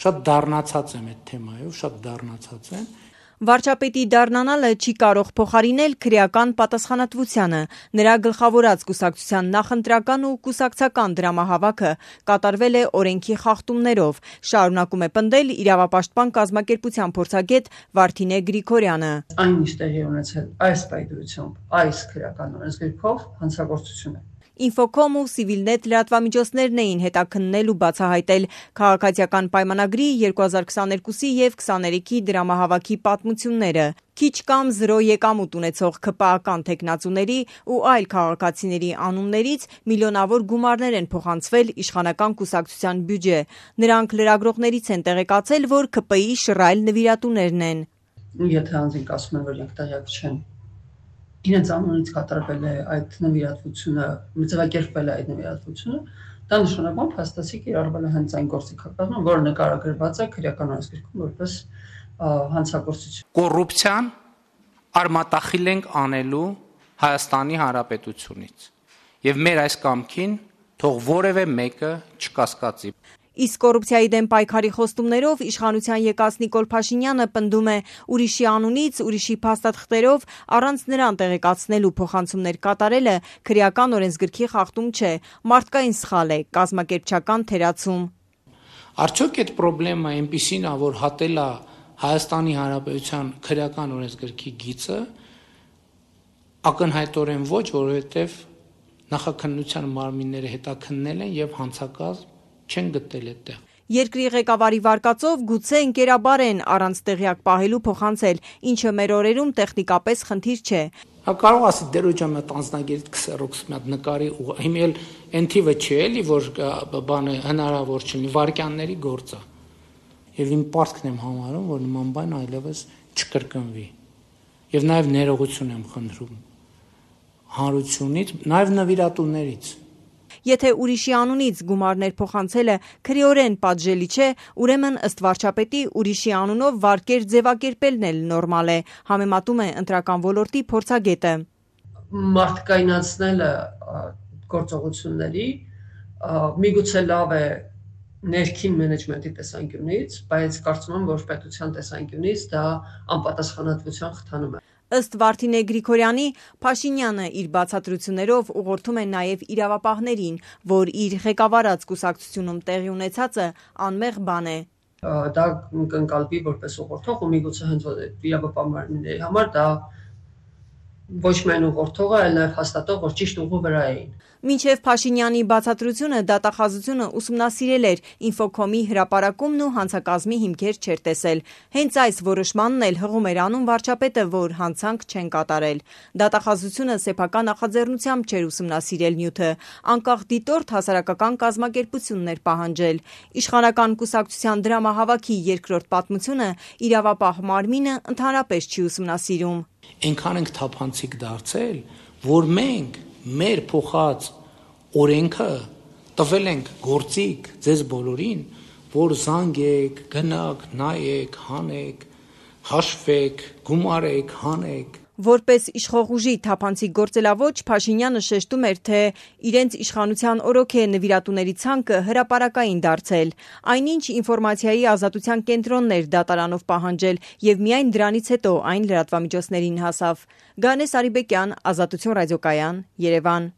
Շատ դառնացած եմ այդ թեմայով, շատ դառնացած եմ։ Վարչապետի դառնանալը չի կարող փոխարինել քրեական պատասխանատվությանը։ Նրա գլխավորած կուսակցության նախընտրական ու կուսակցական դրամահավաքը կատարվել է օրենքի խախտումներով, շարունակում է պնդել իրավապաշտպան կազմակերպության փորձագետ Վարդինե Գրիգորյանը։ Այն ինչ տեղի ունեցել այս պայմանությամբ, այս քրեական օրենսգրքով հանցագործություն է։ Ինֆոկոմ ու Civilnet լրատվամիջոցներն էին հետաքննել ու բացահայտել քաղաքացիական պայմանագրի 2022-ի և 23-ի դրամահավաքի պատմությունները։ Քիչ կամ զրո եկամուտ ունեցող ՔՊԱ-ական թեկնածուների ու այլ քաղաքացիների անուններից միլիոնավոր գումարներ են փոխանցվել իշխանական կուսակցության բյուջե։ Նրանք լրագրողներից են տեղեկացել, որ ՔՊԻ շռայլ նվիրատուներն են։ Եթե անձինք ասում են, որ իրենք տեղյակ չեն, իրենց անունից կատարվել է այդ նվիրատվությունը, ձևակերպվել է այդ նվիրատվությունը, դա նշանակում փաստացի կիրառվել է հենց այն գործիքակազմը, որը նկարագրված է քրեական օրենսգրքում որպես հանցագործություն։ Կոռուպցիան արմատախիլ ենք անելու Հայաստանի Հանրապետությունից եւ մեր այս կամքին թող որևէ մեկը չկասկածի։ Իսկ կոռուպցիայի դեմ պայքարի խոստումներով իշխանության եկած Նիկոլ Փաշինյանը պնդում է ուրիշի անունից, ուրիշի փաստաթղթերով առանց նրան տեղեկացնելու փոխանցումներ կատարելը քրեական օրենսգրքի խախտում չէ, մարդկային սխալ է, կազմակերպչական թերացում։ Արդյոք այդ խնդրեմը այնպիսին է, որ հատել է Հայաստանի Հանրապետության քրեական օրենսգրքի գիծը, ակնհայտորեն ոչ, որովհետև նախաքննության մարմինները հետաքննել են եւ հանցակազմ չեն գտել այդտեղ։ Երկրի ղեկավարի վարկածով գուցե ընկերաբար են առանց տեղյակ պահելու փոխանցել, ինչը մեր օրերում տեխնիկապես խնդիր չէ։ Կարող ասի դերոջան այդ անձնագիր քսերոքս մի նկարի ու հիմա էլ այն թիվը չի էլի, որ բանը հնարավոր չլինի, վարկյանների գործ է։ Եվ իմ պարտքն եմ համարում, որ նման բան այլևս չկրկնվի։ Եվ նաև ներողություն եմ խնդրում հանրությունից, նաև նվիրատուներից։ Եթե ուրիշի անունից գումարներ փոխանցելը քրեորեն պատժելի չէ, ուրեմն ըստ վարչապետի ուրիշի անունով վարկեր ձևակերպելն էլ նորմալ է, համեմատում է ընտրական ոլորտի փորձագետը։ Մարդկայնացնելը գործողությունների միգուցե լավ է ներքին մենեջմենտի տեսանկյունից, բայց կարծում եմ, որ պետության տեսանկյունից դա անպատասխանատվության խթանում է։ Ըստ Վարդինե Գրիգորյանի, Փաշինյանը իր բացատրություններով ուղղորդում է նաև իրավապահներին, որ իր ղեկավարած կուսակցությունում տեղի ունեցածը անմեղ բան է։ Դա կընկալվի որպես ուղղորդող ու միգուցե հենց իրավապահ մարմինների համար դա ոչ միայն ուղղորդողը, այլ նաև հաստատող, որ ճիշտ ուղու վրա էին։ Մինչև Փաշինյանի բացատրությունը դատախազությունը ուսումնասիրել էր, Ինֆոկոմի հրապարակումն ու հանցակազմի հիմքեր չէր տեսել։ Հենց այս որոշմանն էլ հղում էր անում վարչապետը, որ հանցանք չեն կատարել։ Դատախազությունը սեփական նախաձեռնությամբ չէր ուսումնասիրել նյութը, անկախ դիտորդ հասարակական կազմակերպությունն էր պահանջել։ Իշխանական կուսակցության դրամահավաքի երկրորդ պատմությունը իրավապահ մարմինը ընդհանրապես չի ուսումնասիրում։ Այնքան ենք թափանցիկ դարձել, որ մենք մեր փոխած օրենքը տվել ենք գործիք ձեզ բոլորին, որ զանգեք, գնաք, նայեք, հանեք, հաշվեք, գումարեք, հանեք։ Որպես իշխող ուժի թափանցիկ գործելավոճ Փաշինյանը շեշտում էր, թե իրենց իշխանության օրոք է նվիրատուների ցանկը հրապարակային դարձել։ Այնինչ ինֆորմացիայի ազատության կենտրոնն էր դատարանով պահանջել եւ միայն դրանից հետո այն լրատվամիջոցներին հասավ։ Գանես Արիբեկյան, Ազատություն ռադիոկայան, Երևան։